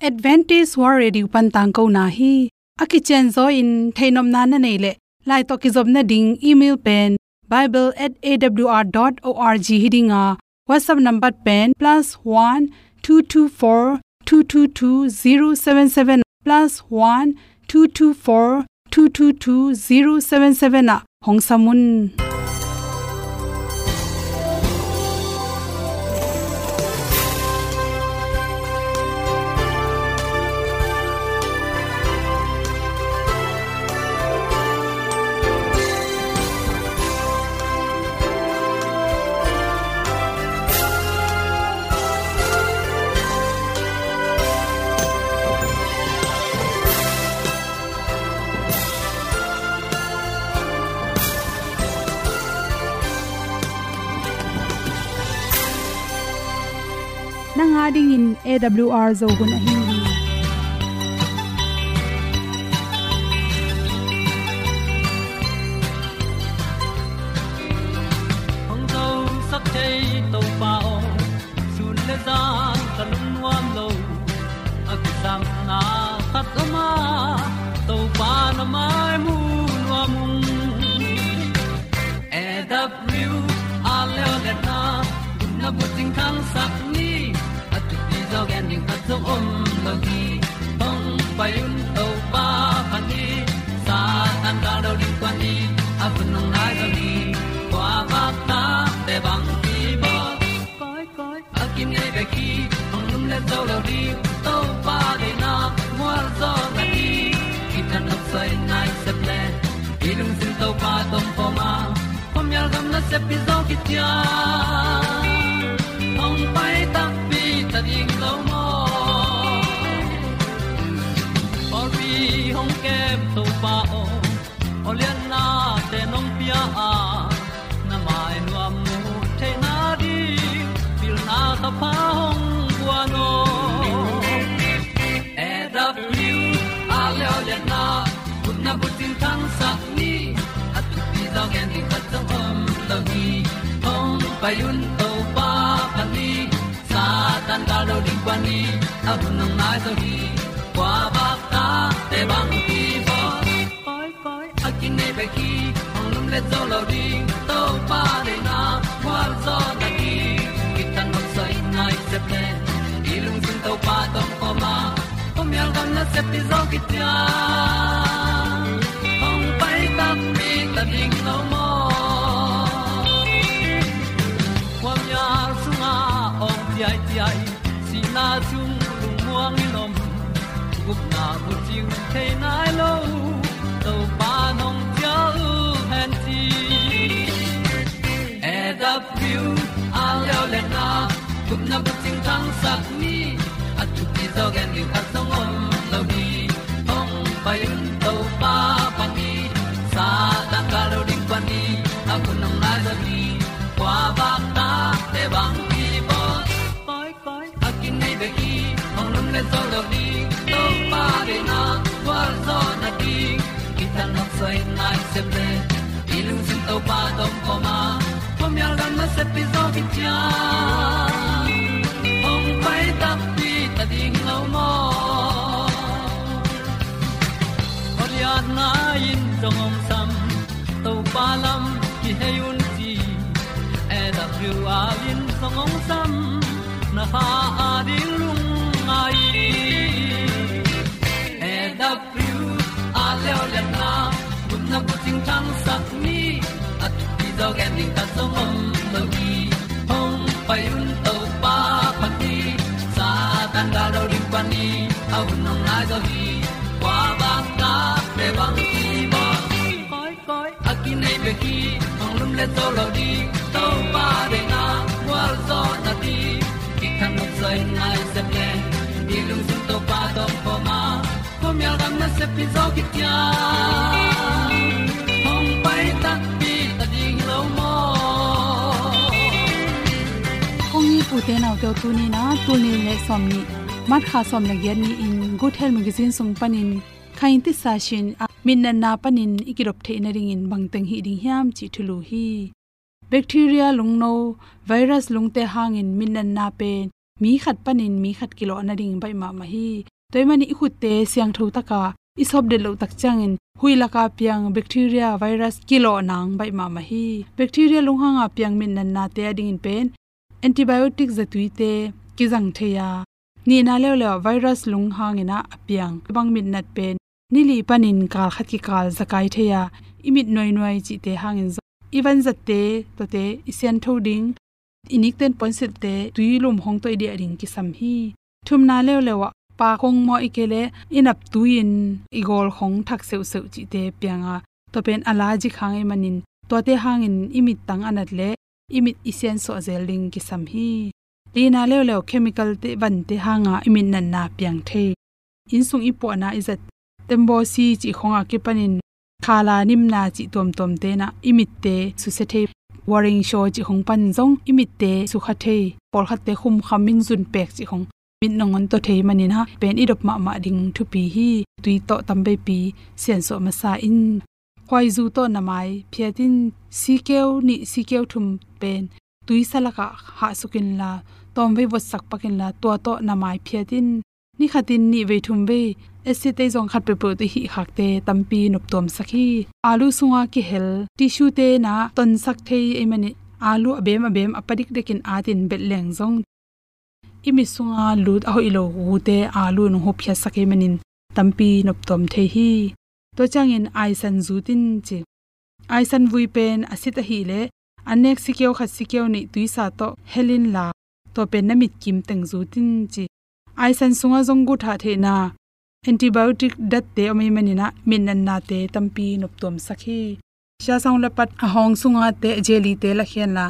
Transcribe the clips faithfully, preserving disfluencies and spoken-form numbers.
Adventist World Radio pan tangkona hi. A kicianzaw in theihnopna na neih leh, lai tawh kizopna ding email pen bible at A W R dot org hi ding a, WhatsApp number pen plus one two two four two two two zero seven seven, plus one two two four two two two zero seven seven ah hong sam un. Nang a dingin A W R Zo hun ahi hi. Hong zosak thei Topa aw, sun le zan ka lungnuam lo. A kisapna khat om a, Topa na mai mu nuam ung. A W R leo le na, gupna bucing thangsak ni. A thupi zaw gen ding khat zong om lo hi. Hong pai un Topa pha ni. Satan gal do ding kua ni. A hun hong nai zaw ni. Kua bak ta te bang ki bawl. Koi, koi. A kinei bek hi, hong lum le zo lo ding, Topa deihna mual zaw na ding. Kitang nok soi nai sep le, i lungsim Topa tawh pom a, khuamial gam nasep hi zaw kician. Hong pai takpi ta ding lo maw? Pawlpi hong kem Topa aw, awliatnate nong pia a, na mai nuam mu theihna ding, pilna thapha hong guan aw. A W R leo le na, gupna bucing thangsak ni. A thupi zaw gen ding khat zong om lo hi. Hong pai un Topa pha ni. Satan gal do ding kua ni. A hun hong nai zaw hi. Kua bak ta te bang ki bawl. Koi, koi. A kinei bek hi, hong lum le zo lo ding, Topa deihna mual zaw na ding. Kitang nok soi nai sep le, i lungsim Topa tawh pom a, khuamial gam nasep hi zaw kician. Hong pai takpi ta ding lo maw? Khuamial sungah awng ciaiciai, sihna sung lungmuang in om, gupna bucing thei nai lo, Topa nong cial hen ci. A W R leo le na, gupna bucing thangsak ni. A thupi zaw gen ding khat zong om lo hi. Hong pai un Topa pha ni. Satan gal do ding kua ni. A hun hong nai zaw hi. Kua bak ta te bang ki bawl. Koi, koi. A kinei bek hi, hong lum le zo lo ding, Topa deihna mual zaw na ding. Kitang nok soi nai sep le, i lungsim Topa tawh pom a, khuamial gam nasep hi zaw kician. Hong pai takpi ta ding lo maw? Awliatna in zong hong sam, Topa lam kihei un ci. A W R in zong hong sam, na kha a ding lungngai. A W R leo le na, gupna bucing thangsak ni. A thupi zaw gen ding khat zong om lo hi. Hong pai un Topa pha ni. Satan gal do ding kua ni. A hun hong nai zaw hi. Kua bak ta te bang ki bawl. Koi, koi. A kinei bek hi, hong lum le zo lo ding, Topa deihna mual zaw na ding. Kitang nok soi nai sep le, i lungsim Topa tawh pom a, khuamial gam nasep hi zaw kician. Hong pai takpi ta ding lo maw? Kong it u te nau te, tuni in a, tul nih le sawmnih, March kha sawm le giat ni-in Good Health Magazine sung panin, kha in tisa sin a, mitnatna panin i kidop theih nadingin bangteng hih ding hiam cih thulu hi. Bacteria lungno, virus lungte hangin mitnatna pen mi khat panin mi khat kilawh nading baih mahmah hi. Tua ahih manin i khutte siangtho taka i sawp det loh tak ciangin huih laka piang bacteria, virus kilawh nang baih mahmah hi. Bacteria lunghanga piang mitnatnate adingin pen antibiotic zatuite kizang thei a, nihna leuleu ah virus lunghangin ah a piang bang mitnat pen ni li panin kal khat kikal zakai thei a, i mit nuainuai cihte hangin zong i vanzatte, tuate i siantho ding, i nikten puansilhte tuilum hong tawh i diah ding kisam hi. Thumna leuleu ah pak hong mawh, ahih kei leh i nap tui-in i gawl hong thak seuhseuh cihte piang a, tua pen allergic hang ahih manin tuate hangin i mittang a nat leh i mit i siansuah zel ding kisam hi. Lina leuleu chemical-te, vante hanga i mitnatna piang thei. Innsung i puahna i zat, tembaw si cih khong a kipanin khala nimna cih tuamtuamte in ah i mitte susia thei. Waring shaw cih khong pan zong i mitte sukha thei. Pawlkhatte khumkham in zun pek cih khong mit nangawn taw thei manin ah pen i dop mahmah ding thupi hi. Tui tawh tamveipi siansuah masa in. Khuaizu tawh na mai phiat in. Sikeu nih, sikeu thum pen tuisa lakah hahsuk inla, tawmvei votsak pak inla, tua tawh na mai phiat in. Ni khatin nih vei thum vei acid ei zong khat peuhpeuh tawh i hih khakte tampi noptuamsak hi. Alu sunga kihel tissue-te in ah tonsak thei ahih manin alu a bem a bem a pa dikdikin atin belh leng zong i mit sunga lut a hoih lo gute alu in hong hupkhiatsak ahih manin tampi noptuam thei hi. Tua ciangin aisan zut in ci. Aisan vui pen acid ahih leh an nek sikeu khat sikeu nih tuisa tawh hel inla, tua pen na mitkim teng zut in ci. Aisan sungah zong guthah theihna antibiotic datte om ahih manin ah mitnatnate tampi noptuamsak hi. Siasang le pat a hawng sunga te, jelly-te lakhia inla,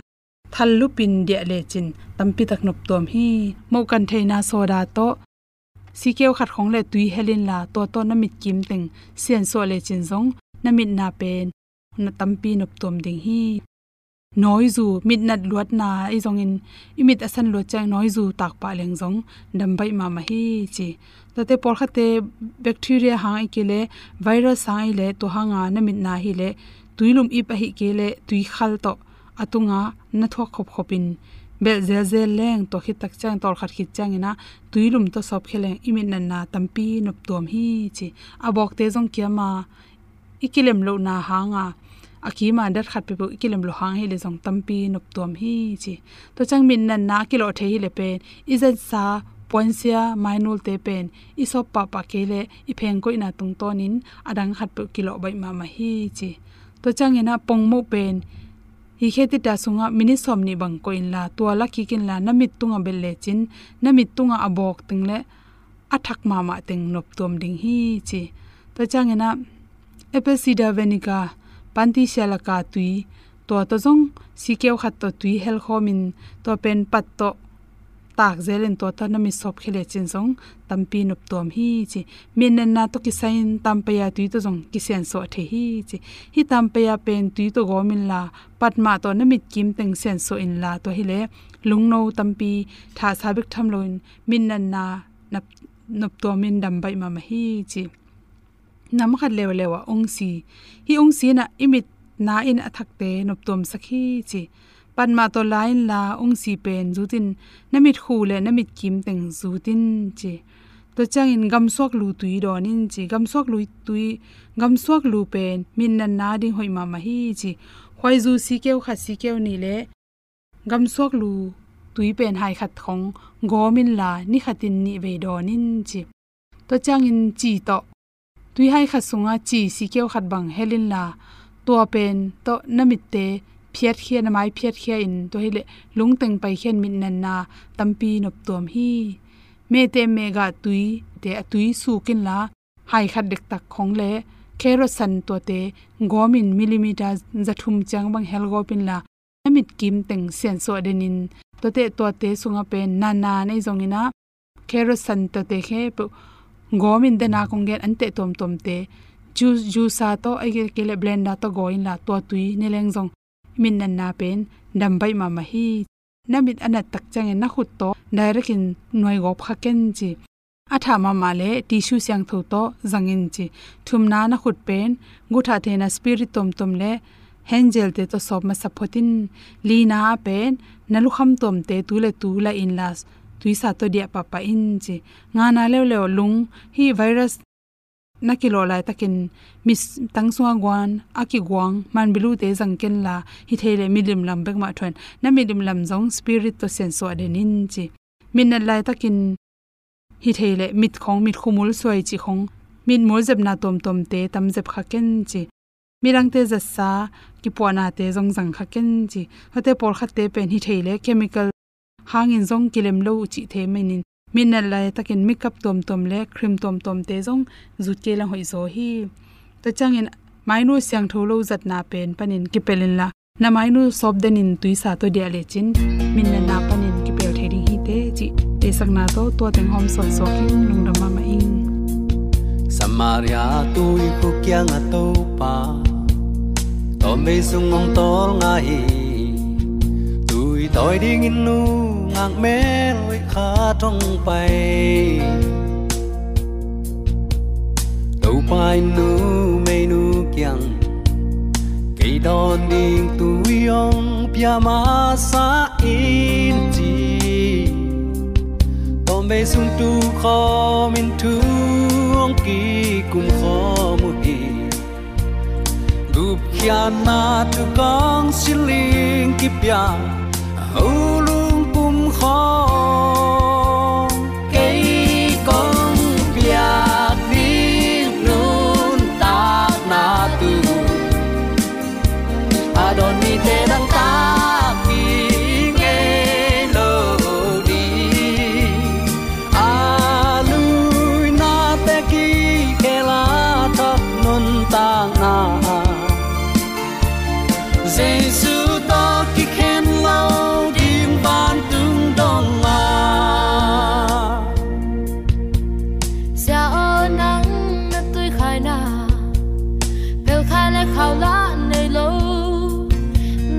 thal lupin diah lecin tampitak noptuam hi. Mohkan theihna soda tawh sikeu khat khong le tui hel inla, tua tawh na mitkim teng siansuah lecin zong na mitna pen na tampi noptuam ding hi. Nawizu, mitnat luatna ahi zongin i mit a san luat ciang nawizu takpah leng zong dam baih mahmah hi ci. Tuate pawlkhatte bacteria hang ahih kei leh virus hang ahih leh tua hanga na mitna ahih leh tuilum ip ahih kei leh tuikhal tawh a tunga na thuak khopkhopin belh zelzel leng, tua khit tak ciang tawlkhat khit ciangin ah tuilum tawh sawpkhia leng i mitnatna tampi noptuam hi ci. A bawkte zong kiam a, i kilem lohna hanga a kima dat khat peuhpeuh i kilem loh hang ahih leh zong tampi noptuam hi ci. Tua ciang mitnatna a kilawh thei ahih leh pen i zatsa puansia mainulte pen i sawp pahpah kei leh i phengkoihna tungtawnin a dang khat peuh kilawh baih mahmah hi ci. Tua ciangin ah pongmoh pen hi khe tita sungah minit sawmnih bang koih inla, tua la kik inla, na mit tungah belh lecin na mit tungah a bawk teng leh a thak mahmah teng noptuam ding hi ci. Tua ciangin ah apple cider vinegar, panti sia laka tui, tua tawh zong sikeu khat tawh tui helkhawmin, tua pen pat tawh takzelin tua tawh na mit sawpkhia lecin zong tampi noptuam hi ci. Mitnatna tawh kisai-in tampaya tui tawh zong kisiansuah thei hi ci. Hih tampaya pen tui tawh gawm inla, pat mah tawh na mitkim teng siansuah inla, tua hileh lungno tampi thahsa bek tham loin mitnatna nop, noptuamin dam baih mahmah hi ci. Nam khat leuleu ah ungsi. Hih ungsi in ah i mitna in a thakte noptuamsak hi ci. Pat mah tawh la inla, ungsi pen zutin, na mitkhu le na mitkim teng zutin ci. Tua ciangin gamsuak lu tui dawn in ci. Gamsuak lu tui, gamsuak lu pen mitnatna ding hoih mahmah hi ci. Khuaizu sikeu khat sikeu nih le gamsuak lu tui pen hai khat khong gawm inla, ni khatin nih vei dawn in ci. Tua ciangin ci tawh, tui hai khat sungah ci sikeu khat bang hel inla, tua pen tawh na mitte phiatkhia, na mai phiatkhia in, tua hileh lungteng paikhian mitnatna tampi noptuam hi. Mehte mehgah tuite a tui suk inla, hai khat dektak khong le carrot san tuate gawmin millimeter za thum ciang bang hel gawp inla, na mitkim teng siansuah denin, tuate, tuate sungah pen nana nei zongin ah, carrot san tuate khempeuh gawmin, dena kong gen, an teh tuamtuamte juice, juicer tawh, ahih kei leh blender tawh gaw inla, tua tui ne leng zong mitnatna pen dam baih mahmah hi. Na mit a nat tak ciangin na khut tawh direct in nuai gawp kha ken ci. A thah mahmah leh tissue siangtho tawh zang in ci. Thumna, na khut pen guthah theihna spirit tuamtuam le hand gel-te tawh sawp masa phot in. Lina ah pen na lukham tuamte tu le tu la inla, tuisa tawh diah pahpah in ci. Ngana leuleu lung, hih virus na kilawh laitakin mittang sunga guan a kiguang manbilute zang kenla, hithei leh milim lam bek mah thuan, na milim lam zong spirit tawh siansuah den in ci. Mitnat laitakin hithei leh mitkhong, mitkhu mul suai cih khong, mitmul zepna tuamtuamte tam zep kha ken ci. Midangte zatsa kipuahnate zong zang kha ken ci. Hate pawlkhatte pen hithei leh chemical hangin zong kilem lo uh cihte manin, mitnat laitakin makeup tuamtuam leh cream tuamtuamte zong zut kei leng hoih zaw hi. Tua ciangin mainu siangtho lo zatna pen panin kipel inla, na mainu sawp denin tuisa tawh diah lecin mitnatna panin kipel thei ding hi teh cih theihsakna tawh tua teng hawm suansuak in lungdam mahmah ing. Samaria tuikhuk kiangah Topa tawmvei sung hong tawlnga hi. Tui tawi dingin nungak mel hoih khat hong pai. Topa in numeinu kiang, kei dawn ding tui hong pia masa in ci. Tawmvei sung tukhawmin thu hong kikum khawm uh hi. Gupkhiatna thukong siling kipia, a ho lungpum khawng, kei kong piak ding nuntakna tu a dawn mite dangtak ding ngei lo ding. A luinate kikhel a thak nuntakna, Jesu tawh kikhen lo ding vantung dong a. Sia aw, nang na tuikhaina, phelkhai le khaulah nei lo.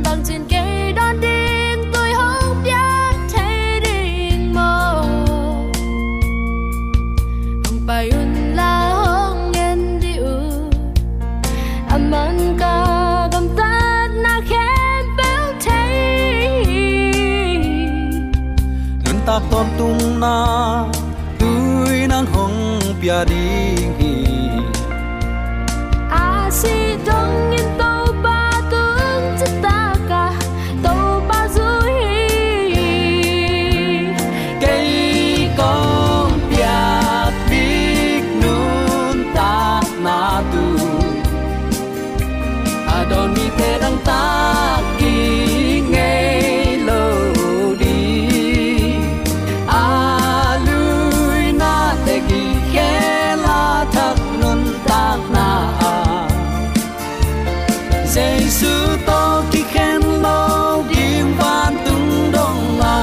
Bangcin kei dawn ding tui hong pia thei ding maw? Hong pai unla hong ngen dih uh. Aman ka gamtatna khempeuh thei. Nuntak tawntungna tui nang hong pia ding hi. A sih dongin Topa tung citak a Topa zui hi. Kei kong piak ding nuntakna tu a dawn mite dangtak ding ngei lo ding. A luinate kikhel a thak nuntakna ah, Jesu tawh kikhen lo ding vantung dong a.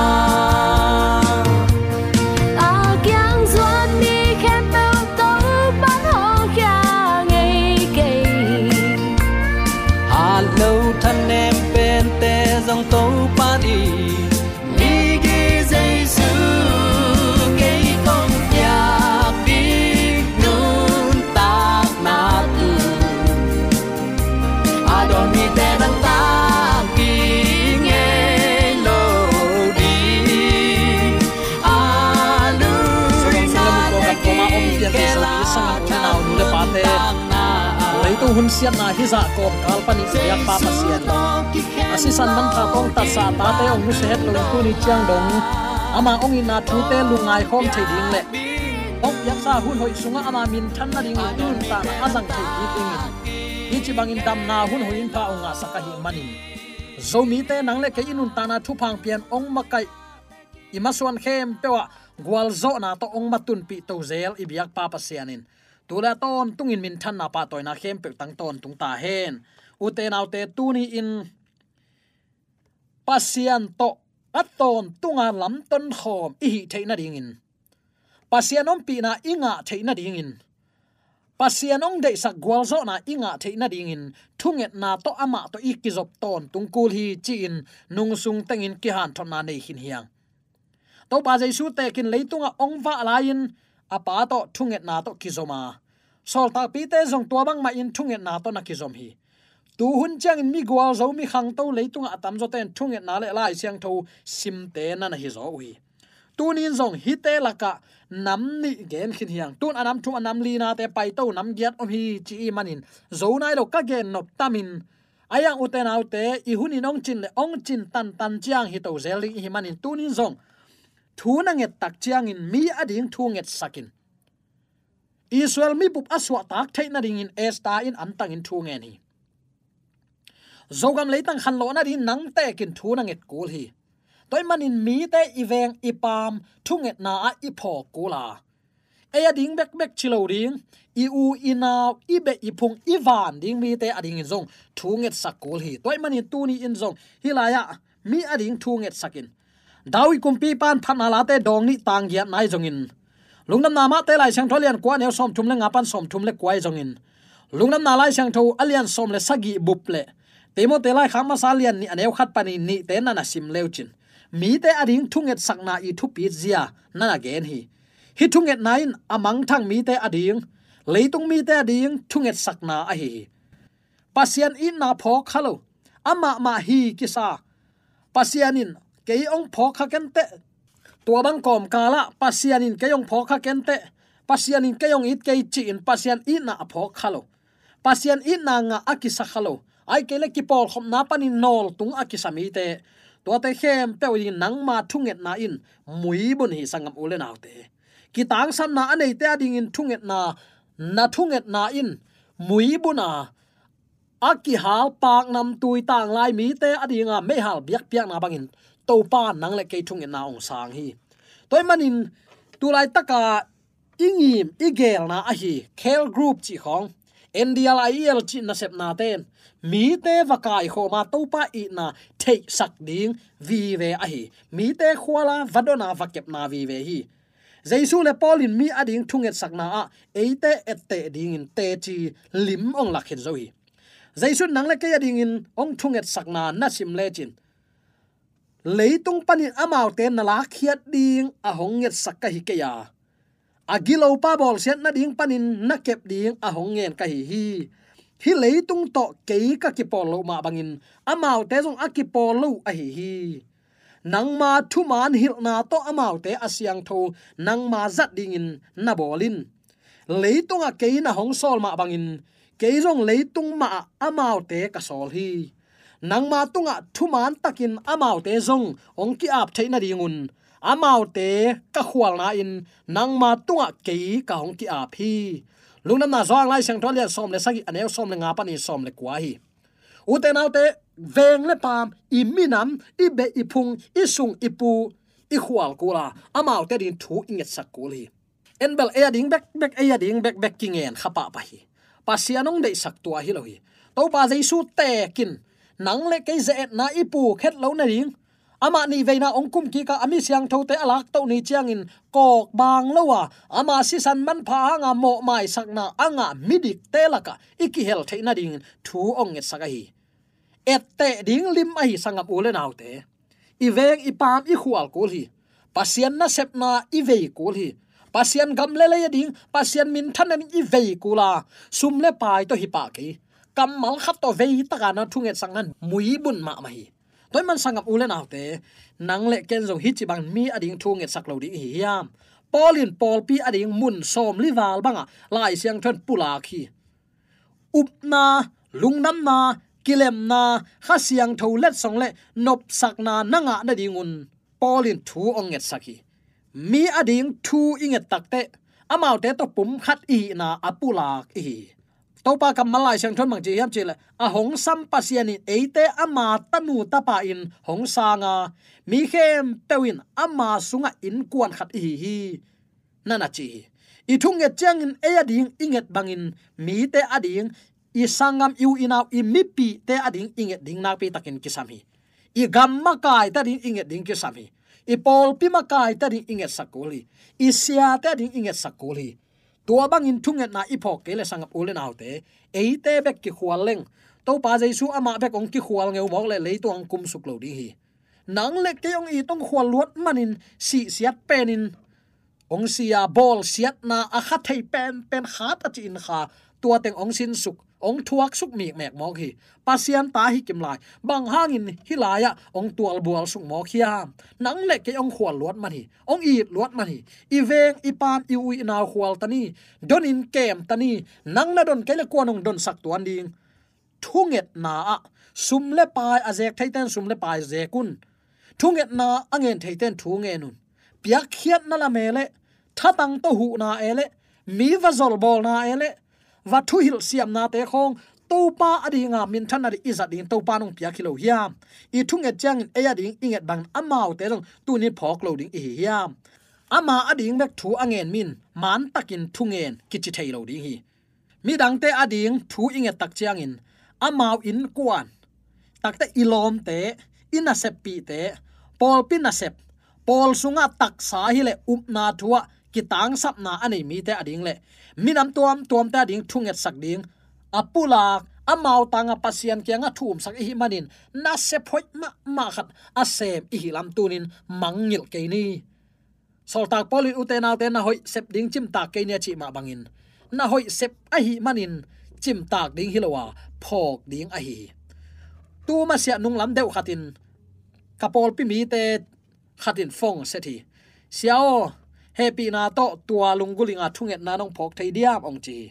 A kiang zuan mi khempeuh Topa'n hawlkhia ngei kei. Hat lo thanem pente zong Topa'n i migi Jesu, kei kong piak ding nuntakna tu a dawn mite nangtak ding ngei lo ding. A luinate kikhel a thak nuntakna. Leitung hun siatna hizah kawmkal panin biakpa Pasian, a sisan manpha tawh hong tatsa a tate hong nusia het lo in tuni ciang dong ama hong itna thute lungngai khawm thei ding leh hong piaksa hun hoih sungah ama minthan nading i nuntakna a zang thei kik dingin, hih ci bangin damna hun hoih in pha hong ngahsak ahih manin, Zomite nang le kei i nuntakna thupha hong pian hong makaih i masuan khempeuh ah gualzawhna tawh hong matunpih to zel i biakpa Pasian in, tu le a tawntungin minthanna pahtawina khempeuh tang tawntung ta hen. Ute naute, tuni-in Pasian tawh a tawntunga lamtonkhawm i hih theih nadingin, Pasian ompihna i ngah theih nadingin, Pasian hong deihsak gualzawhna i ngah theih nadingin, thungetna tawh amah tawh i kizop tawntung kul hi ci-in nungsung tengin kihanthotna nei khin hi hang. Topa Jesu tekin leitungah hong vah lai-in a Pa tawh thungetna tawh kizom a, sawltakpite zong tua bangmahin thungetna tawh na kizom hi. Tuhun ciangin mi gualzo, mi khangto leitungah a tamzawte in thungetna le Lai Siangtho simte na na hizaw uh hi. Tunin zong hihte lakah nam nih gen khin hi hang. Tun a nam thum a nam linate paito nam giat om hi ci i manin zo nai lo ka gen nop tamin, a iang ute naute i hunin ong cin le ong cin tantan ciang hi to zel ding i hi manin tunin zong thu na nget tak ciangin mi a ding thu ngetsak in. Israel mipup a suahtak theih nadingin Esther in antangin thu ngen hi. Zogam leitang khanlawh nading nang tekin thu na nget kul hi. Tua ahih manin mite i veng i paam thungetna ah i phawk kul a, ei a ding bekbek ci lo ding, i u i nau i beh i phung i van ding mite a dingin zong thu ngetsak kul hi. Tua ahih manin tuni in zong hih lai-ah mi a ding thu ngetsak in. David kumpipa in Phatna Late dawng nih tang giat nai zongin, Lungdamna Matthai Lai Siangtho a lian kua a neu sawmthum le nga pan sawmthum le kua i zongin, Lungdamna Lai Siangtho a lian sawm le sagih bup le Timoti laikhak masa a lian nih a neu khat panin nihte na na sim leucin, mite a ding thungetsakna i thupit zia na na gen hi. Hih thungetna in a mangthang mite a ding, leitung mite a ding thungetsakna ahi hi. Pasian itna phawk kha lo, amah mah hi kisa. Pasian in kei ong phawk kha kenteh. Tua bang kawmkalah Pasian in kei ong phawk kha kenteh, Pasian in kei ong it kei ci-in Pasian itna a phawk kha lo, Pasian itna ngah a kisa kha lo, ahih kei le kipawlkhopna panin nawltung a kisa mite, tuate khempeuh in nangma thungetna in muibun hi, sanggam u le naute. Kitangsapna a neite a dingin thungetna, na thungetna in muibun a, a kihal paknamtui tanglai mite a dinga meihal biakpiakna bangin Topa nang le kei thungetna ong sang hi. Tua ahih manin tulaitaka i ngim i gelna ahi care group cih khawng, N D L I E L cih nasepnate in mite va kaikhawma Topa itna theihsak ding vive ahi. Mite khuala va dona va kepna vive hi. Jesu le Paul in mi a ding thungetsakna ah eite etteh dingin teci lim ong lak khin zo hi. Jesu in nang le kei a dingin ong thungetsakna na sim lecin, leitung panin amaute na lakkhiat ding a hong ngetsak ka hi kei a, a gilopa bawlsiat nading panin na kep ding a hong ngen ka hi hi. Hih leitung tawh kei ka kipawl loh mah bangin amaute zong a kipawl lo ahi hi. Nangma thuman hilhna tawh amaute a siangtho nangma zat dingin na bawl in. Leitungah kei na hong sawl mah bangin kei zong leitung mahah amaute ka sawl hi. Nangma tungah thuman takin amaute zong hong ki-ap theih nadingun amaute ka khualna-in nangma tungah kei ka hong ki-ap hi. Lungdamna Johan Lai Siangtho a lian sawm le sagih a neu sawm le nga panin sawm le kua hi. Ute naute, veng le paam, i minam, i beh i phung, i sung i pu, i khual kul a, amaute ding thu i ngetsak kul hi. En bel ei a ding bekbek, ei a ding bekbek kingen kha pahpah hi. Pasian hong deihsak tua hi lo hi. Topa Jesu tekin nang le kei ze-etna i puk het lo nading, amah nihveina hong kum kik a, a mi siangthote a laktoh ni ciangin kawk bang lo a, ama sisan manpha hanga mawhmaisakna a ngah midikte lakah i kihel theih nadingin thu hong ngetsak ahi. Etteh ding lim ahi, sanggam u le naute. I veng i paam i khual kul hi. Pasian nasepna i vei kul hi. Pasian gam le lei a ding, Pasian minthan a ding i vei kul a, sum le pai tawh hi pah kei, kammal khat tawh vei taka na thungetsakna in muibun mahmah hi. Tua ahih man, sanggam u le naute, nang le ken zong hih ci bang mi a ding thu ngetsak lo ding i hi hiam? Paul in pawlpi a ding mun sawmli val bangah Lai Siangtho in pulak hi. Upna, lungdamna, kilemna, Kha Siangtho letsong le nopsakna na ngah nadingun Paul in thu hong ngetsak hi. Mi a ding thu i nget takteh amaute tawh pum khat i hihna a pulak i hi hi. Topa kammal Lai Siangtho in bang ci hiam cih leh, a hong sam Pasian in eite ama tanu tapa in hong sang a, mi khempeuh in ama sungah innkuan khat i hi hi, na na ci hi. I thunget ciangin ei a ding i nget bangin mite a ding, i sanggam, i u i nau, i mipihte a ding i nget ding nakpi takin kisam hi. I gam makaite a ding i nget ding kisam hi. I pawlpi makaite a ding i ngetsak kul hi. I siate a ding i ngetsak kul hi. Tua bangin thungetna i phawk kei leh, sanggam u le naute, eite bek kikhual leng, Topa Jesu amah bek hong kikhual ngeu mawk leh leitung hong kumsuk lo ding hi. Nang le kei hong it hong khual luat manin sihsiat penin hong si a, bawlsiatna a kha thei penpen khat a ci-in kha, tua teng hong sinsuk, Hong thuaksuk mikmek mawk hi. Pasian ta hi kim lai. Bang hangin hih lai-ah hong tualbualsuk mawk hiam? Nang le kei hong khual luat man hi. Hong it luat man hi. I veng, i paam, i u, i nau khual ta ni. Donin kem ta ni. Nang na don kei le kuan hong donsak tuan ding? Thungetna ah sum le pai a zek theite in sum le pai zek un. Thungetna a ngen theite in thu ngen un. Piakkhiatna lam e le, thatang tawh huhna e le, mi va zolbawlna e le, va thuhilh siamnate khawng, Topa adinga minthanna ding i zat ding Topa in hong piak hi lo hiam? I thunget ciangin ei ading i nget bangin amaute zong tuni phawk lo ding i hi hiam? Ama ading bek thu a ngen mi in mantakin thungen kici thei lo ding hi. Midangte ading thu i nget tak ciangin amau innkuan, takte i lawmte, i naseppihte, pawlpi nasep, pawl sungah taksa hileh upna thu-ah kitangsapna a nei mite ading le minam tuamtuamte ading thungetsak ding a pulak, amau tangah Pasian kiangah thu umsak i hih manin nasep hoih mahmah khat a sem i hih lam tunin mangngilh kei ni. Sawltak Paul in ute naute na hoih sep ding cimtak kei ni a cih mah bangin na hoih sep ahih manin cimtak ding hi lo a, phawk ding ahi hi. Tu masiah nunglam deuh khatin ka pawlpi mite khatin phone set hi. Sia aw, hehpihna tawh tua lunggulhinga thungetna nong phawk thei diam hong ci hi.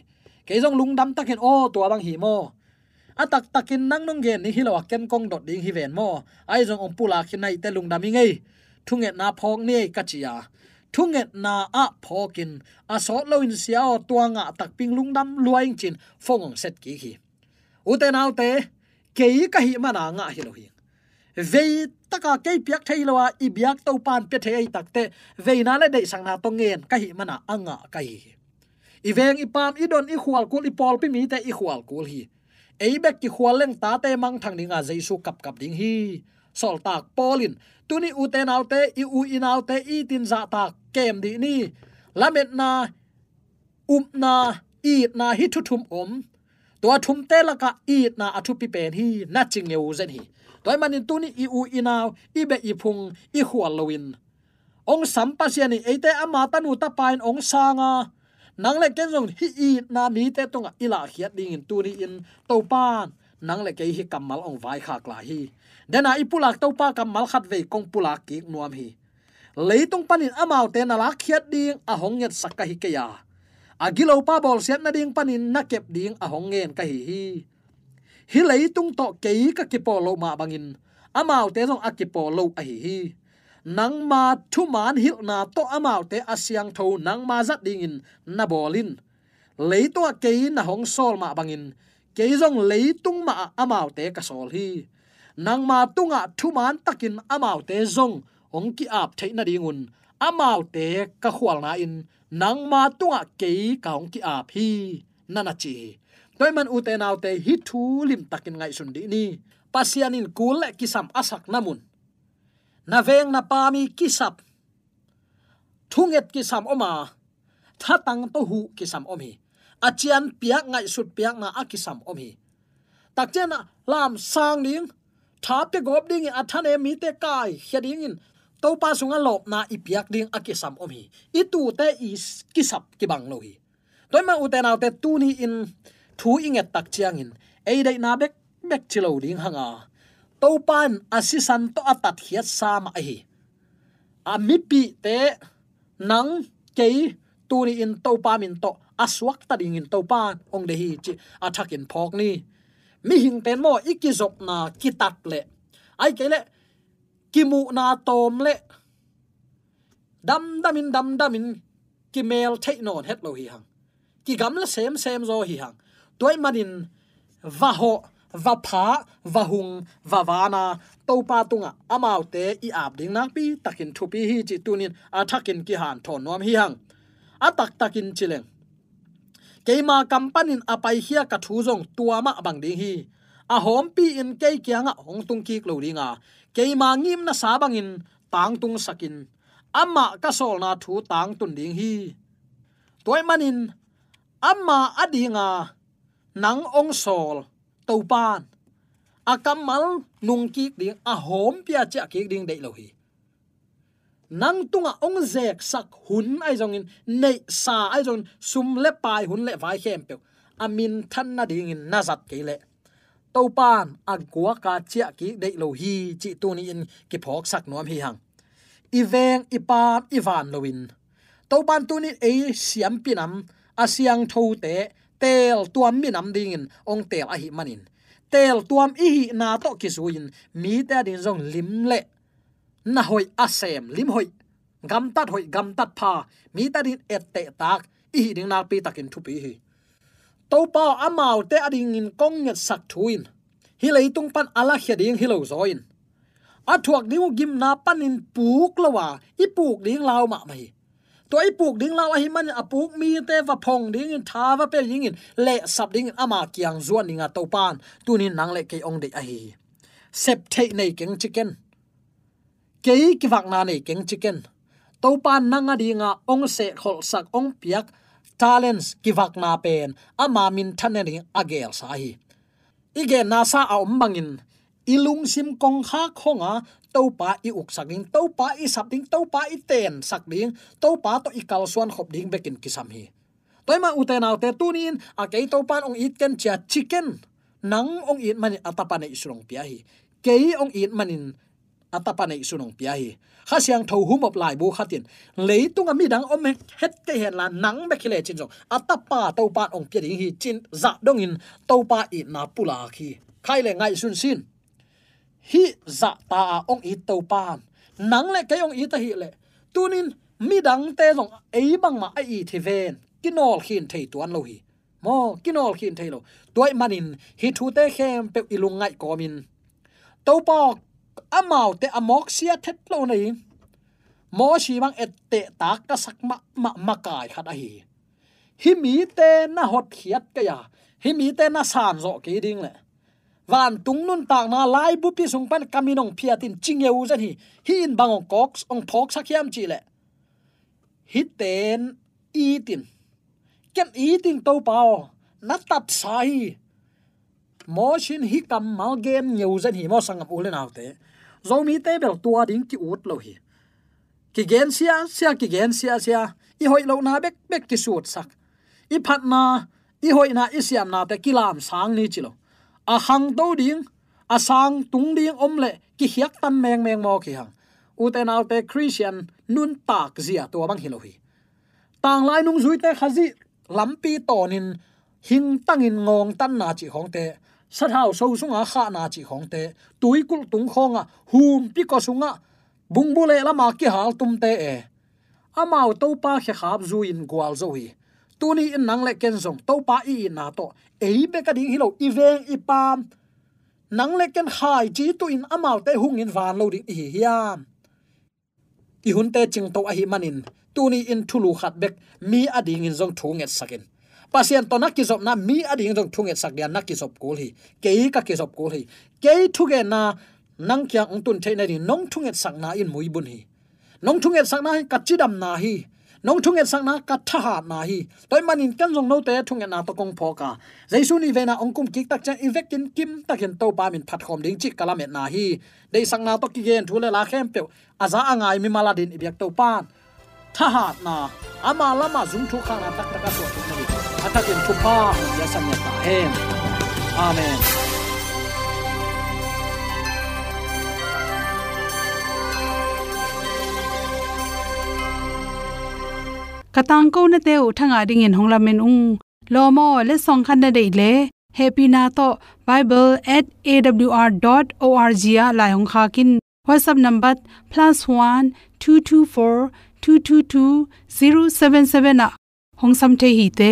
Kei zong lungdam takin aw tua bang hi maw? A taktakin nang nong gen ni hi lo a ken kong dot ding hi ven maw? Ahi zong hong pulak hi naite lungdam hi ngei. Thungetna phawk ni ei ka ci a. Thungetna ah phawkin a sawt loin sia aw tua ngah takping lungdam lua ing cin phone hong set kik hi. Ute naute, kei ka hih mana ngah hi lo hi. Vei taka kei piak thei lo a i biak Topan pia thei ahi takte veina le deihsakna tawh ngen ka hih mana a ngah ka hi hi. I veng i paam i don i khualkul i pawlpi mite i khualkul hi. Ei bek kikhual leng tate mangthang dinga Jesu kapkap ding hi. Sawltak Paul in tuni ute naute i u i naute i tin zahtak kem dih ni. Lametna, upna, itna hi thu thum om. Tua thumte lakah itna a thupi pen hi na ci ngeu zen hi. Tua ahih manin tuni i u i nau i beh i phung i khual loin hong sam Pasian in eite ama tanu tapa in hong sanga nang le ken zong hih itna mite tungah i lahkhiat dingin tuni-in Topan nang le kei hih kammal hong vaikhak lai hi. Dena i pulak Topa kammal khat vei kong pulak kik nuam hi. Leitung panin amaute na lakkhiat ding a hong ngetsak ka hi kei a, a gilopa bawlsiat nading panin na kep ding a hong ngen ka hi hi. Hih leitung tawh kei ka kipawl loh mah bangin amaute zong a kipawl lo ahi hi. Nangma thuman hilhna tawh amaute a siangtho nangma zat dingin na bawl in. Leitungah kei na hong sawl mah bangin kei zong leitung mahah amaute ka sawl hi. Nangma tungah thuman takin amaute zong hong ki-ap theih nadingun amaute ka khualna-in nangma tungah kei ka hong ki-ap hi, na na ci hi. Tua ahih man ute naute hih thu limtakin ngaihsun dih ni. Pasian in kul le kisam a sakna mun na veng na paam i kisap, thunget kisam om a, thatang tawh huh kisam om hi. A cian piak ngaihsut piakna a kisam om hi. Takcianah lamsang ding, tha pia gawp dingin a thanem mite kaikhia dingin Topa sungah lawpna i piak ding a kisam om hi. I tuute i kisap kibang lo hi. Tua ahih man ute naute tuni-in thu i nget tak ciangin ei deihna bekbek ci lo ding hanga, Topa in a sisan tawh a tatkhiatsa mah ahi a mipihte nang kei tuni-in Topa min tawh a suakta dingin Topa in hong deih hi cih a thakin phawk ni. Mihingte in maw i kizopna kitat leh, ahih kei leh kimuhna tawm leh damdamin damdamin kimel theih nawn het lo hi hang. Kigamla semsem zaw hi hang. Tua ahih manin va hawh, va phah, va hung, va vana Topa tungah amaute i ap ding nakpi takin thupi hi cih tunin a thakin kihanthawn nuam hi hang. A taktakin ci leng, keima kam panin a paikhia ka thu zong tua mah bang ding hi. A hawmpi-in kei kiangah hong tung kik lo dinga, keima ngimnasa bangin tangtungsakin amah ka sawlna thu tangtun ding hi. Tua ahih manin ama adinga nang hong sawl Topan a kammal nungkik ding, a hawmpi a ciahkik ding deih lo hi. Nang tungah hong zeksak hun ahi zongin, neihsa ahi zongin, sum le pai hun le vai khempeuh a minthan nadingin na zat kei leh Topan a guaka ciah kik deih lo hi cih tuni-in kiphawksak nuam hi hang. I veng i paam i van loin Topan tunin ei siampi nam a siangthote teeltuam minam dingin hong teel ahih manin, teeltuam i hihna tawh kizui-in mite ading zong lim le na hoih a sem, lim hoih, gamtat hoih, gamtat pha, mite ading ettehtak i hih ding nakpi takin thupi hi. Topa aw, amaute adingin kong ngetsak thu in hih leitung pan a lakhia ding hi lo zaw in, a thuak ding uh gimna panin puk lo a, i puk ding lau mahmah hi. Tua i puk ding lau ahih manin a puk mite va phong dingin, tha va pe dingin, lehsap dingin ama kiang zuan dinga Topan tunin nang le kei hong deih ahi hi. Sep theih nei keng ci ken. Kei kivakna nei keng ci ken. Topa nang adinga hong sehkholhsak, hong piak talents kivakna pen ama minthan nading a gelsa hi. I genna sa a om bangin i lungsim kongkhak honga Topa i uksak ding, Topa i sap ding, Topa i teensak ding, Topa tawh i kalsuan khop ding bekin kisam hi. Tua ahih manin ute naute, tuni-in a kei Topan hong it ken cia ci ken. Nang hong it manin a tapa neihsun hong pia hi. Kei hong it manin a tapa neihsun hong pia hi. Kha Siangtho humop laibu khatin, leitunga midang om het kei henla nang bek hi lecin zong a tapa Topan hong pia ding hi cin zah dongin Topa itna pulak hi. Khai le ngaihsun sin. Hih zahta a hong it Topan nang le kei hong it ahih leh, tunin midangte zong ei bangmah a it hi ven, kinawlkhin thei tuan lo hi. Maw, kinawlkhin thei lo. Tua ahih manin hih thute khempeuh i lungngaih kawmin Topa aw, amaute a mawk sia thet lo na hi. Mosi bang ettehtak ka sak mahmah makai khat ahi hi. Hih mite na hotkhiat kei a, hih mite na sanzawh kei ding leh vantung nuntakna laibupi sung pan ka min hong phiat in ci ngeu zen hi. Hih in bang hong kawk, hong phawksak hiam cih leh, hihte in it in, ken it ing Topa aw, na tatsa hi. Mosi in hih kammal gen ngeu zen hi maw, sanggam u le naute. Zomite bel tua ding ki-ut lo hi. Kigen siasia, kigen siasia. I hoih lohna bekbek kisutsak. I phatna, i hoihna, i siamnate kilamsang ni ci lo. A khangto ding, a sang tung ding om leh kikhiaktan mengmeng mawk hi hang. Ute naute, Khristian nuntak zia tua bang hi lo hi. Tanglai nungzuite Khazih lampi tawnin hingtangin ngawngtanna cih khawngte, sathau so sunga khahna cih khawngte, tuikulh tung khawngah, humpi kua sungah, bungbu leh lama kihaltumte e, amau Topa khekhap zui-in gualzo hi. Tuni-in nang le ken zong Topa i itna tawh ei bek ading hi lo, i veng i paam, nang le ken khaici tuhin amaute hungin van lo ding i hi hiam? I hunte cingto ahih manin tuni-in thulu khat bek mi adingin zong thungetsak in. Pasian tawh na kizopna mi adingin zong thungetsak dia na kizop kul hi. Kei ka kizop kul hi. Kei thugenna nang kiang hong tun theih nading nong thungetsakna in muibun hi. Nong thungetsakna in ka cidamna hi. Nong thungetsakna ka thahatna hi. Tua ahih manin ken zong note thungetna tawh kong phawk a, Jesu nihveina hong kum kik tak ciang i vekin kimtakin Topa min phatkhawm ding cih ka lametna hi. Deihsakna tawh kigen thu le la khempeuh a za a ngai mimal adingin i biak Topan thahatna, ama lamah zung thuk khakna taktak a suah thuk nading a thakin thupha hong pia san ngiat ta hen. Amen. Ka tangkonate uh thangah dingin hong lamen ung. Lawm aw, letsong khat na deih leh hehpihna tawh bible at A W R dot O R G ah lai hong khak in. WhatsApp number plus one two two four two two two zero seven seven ah hong sam thei hi te.